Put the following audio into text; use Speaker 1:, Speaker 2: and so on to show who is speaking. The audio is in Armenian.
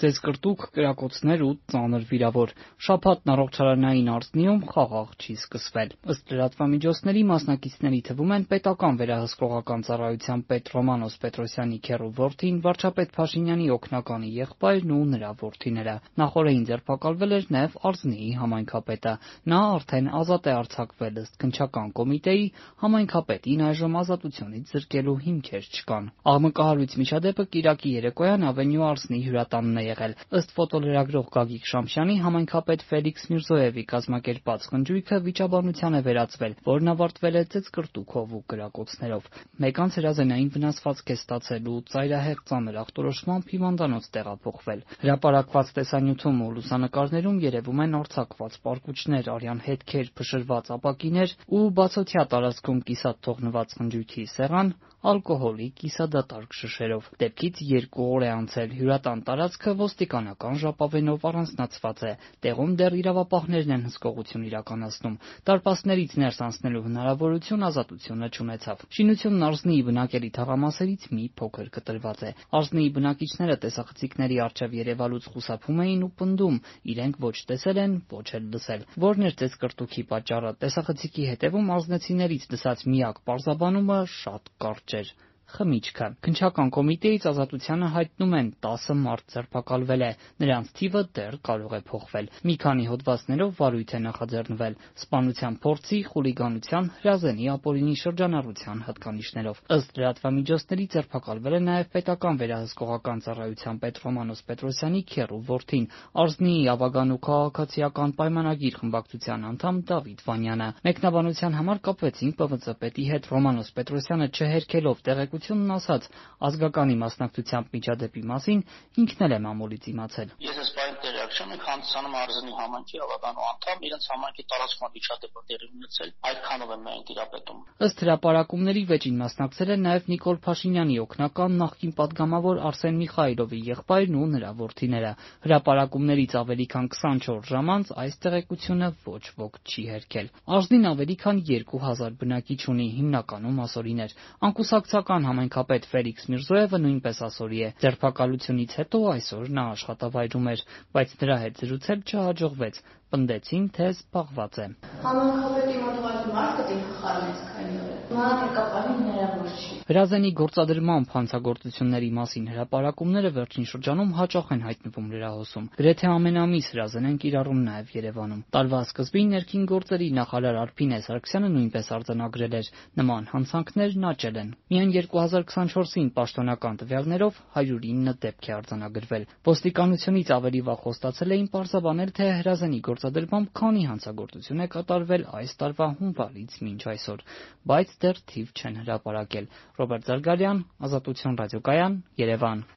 Speaker 1: Ծեծկրտուկ, կրակոցներ ու ծանր վիրավոր։ Շաբաթն առողջարանային Արսնիում խաղաղ չի սկսվել։ Ըստ լրատվամիջոցների մասնակիցների թվում են պետական վերահսկողական ծառայության պետ Ռոմանոս Պետրոսյանի քեռու որդին, վարչապետ Փաշինյանի օգնականի եղբայրն ու նրա որդիները։ Նախօրեին ձերբակալվել էր նաև Արզնիի համայնքապետը։ Նա արդեն ազատ է արձակվել ըստ քննչական կոմիտեի, համայնքապետին այժմ ազատությունից զրկելու հիմքեր չկան։ Աղմկահարույց միջադեպը կիրակի երեկոյան Ավենյու Արսնի հյուրատանն է եղել։ Ըստ ֆոտոլրագրող Գագիկ Շամշյանի, համայնքապետ Ֆելիքս Միրզոևի կազմակերպած խնջույքը վիճաբանության է վերածվել, որն ավարտվել է ծեծկրտուքով ու կրակոցներով։ Մեկ անց հրազենային վնասվածք է ստացել ու ծայրահեղ ծանր ախտորոշմամբ հիվանդանոց տեղափոխվել։ Հրապարակված տեսանյութում ու լուսանկարներում երևում են արձակված պարկուճներ, արյան հետքեր, փշրված ապակիներ ու բացօթյա տարածքում կիսատ թողնված խնջույքի սեղան ալկոհոլի կիսադատարկ շշերով։ Դեպքից 2 օր է անցել։ Հյուրատան տարածքը ոստիկանական ժապավենով առանձնացված է։ Տեղում դեռ իրավապահներն են հսկողություն իրականացնում։ Դարպասներից ներս անցնելու հնարավորություն ազատությունը չունեցավ։ Շինությունն Արզնիի բնակելի թաղամասերից մի փոքր կտրված է։ Արզնիի բնակիչները տեսախցիկների առջև երևալուց խուսափում էին ու պնդում՝ իրենք ոչ տեսել են, ոչ էլ լսել։ Որն էր ծեծկրտուքի պատճառը։ Տեսախցիկի հետևում արզնեցիներից լսած միակ պարզաբանումը շատ կարճ էր՝ խմիչքը։ Քննչական կոմիտեից ազատությանը հայտնում են 10 մարդ ձերբակալվել է։ Նրանց թիվը դեռ կարող է փոխվել։ Մի քանի հոդվածներով վարույթ է նախաձեռնվել սպանության փորձի, խուլիգանության, հրազենի ապօրինի շրջանառության հատկանիշներով։ Ըստ լրատվամիջոցների ձերբակալվել է նաև պետական վերահսկողական ծառայության պետ Ռոմանոս Պետրոսյանի քեռու որդին, Արզնիի ավագան ու քաղաքացիական պայմանագիր խմբակցության անդամ Դավիթ Վանյանը։ Մեկնաբանության համար կապվեցինք ՊՎԾ պետի հետ։ Ռոմանոս Պետրոսյանը չհերքելով տեղեկությունն ասաց՝ ազգականի մասնակցությամբ միջադեպի մասին ինքն էլ է մամուլից իմացել։
Speaker 2: Ես այս պահին տեղյակ չեմ, մենք հանդիսանում Արզնի համայնքի ավագանու անդամ, իրենց համայնքի տարածքում միջադեպը տեղի ունեցել, այդքանով եմ միայն տիրապետում։
Speaker 1: Ըստ հրապարակումների վեճին մասնակցել են նաև Նիկոլ Փաշինյանի օգնական նախկին պատգամավոր Արսեն Միխայլովի եղբայրն ու նրա որդիները։ Հրապարակումներից ավելի քան 24 ժամ անց այս տեղեկությունը ոչ ոք չի հերքել։ Արզնին ավելի քան 2000 բնակիչ ունի, հիմնականում ասորիներ։ Անկուսակցական համայնքապետ Ֆելիքս Միրզոևը նույնպես ասորի է։ Ձերբակալությունից հետո այսօր նա աշխատավայրում էր, բայց նրա հետ զրուցել չհաջողվեց։ Պնդեցին, թե զբաղված է։
Speaker 3: Համայնքապետի մոտ մարդը դին խառնեց քանի օր։ Մանրակապանի հնարավոր չի։
Speaker 1: Հրազենի գործադրմամբ հանցագործությունների մասին հրապարակումները վերջին շրջանում հաճախ են հայտնվում լրահոսում։ Գրեթե ամեն ամիս հրազեն են կիրառում նաև Երևանում։ Տարվա սկզբին ներքին գործերի նախարար Արփինե Սարգսյանը նույնպես արձանագրել էր՝ նման հանցանքներն աճել են։ Միայն 2024-ին պաշտոնական տվյալներով 109 դեպք է արձանագրվել։ Ոստիկանությունից ավելի վաղ խոստացել էին պարզաբանել, թե հրազենի գործադրմամբ քանի հանցագործություն է կատարվել այս տարվա հունվարից մինչ այսօր, բայց դեռ թիվ չեն հրապարակել։ Ռոբերտ Զարգարյան, Ազատություն ռադիոկայան, Երևան։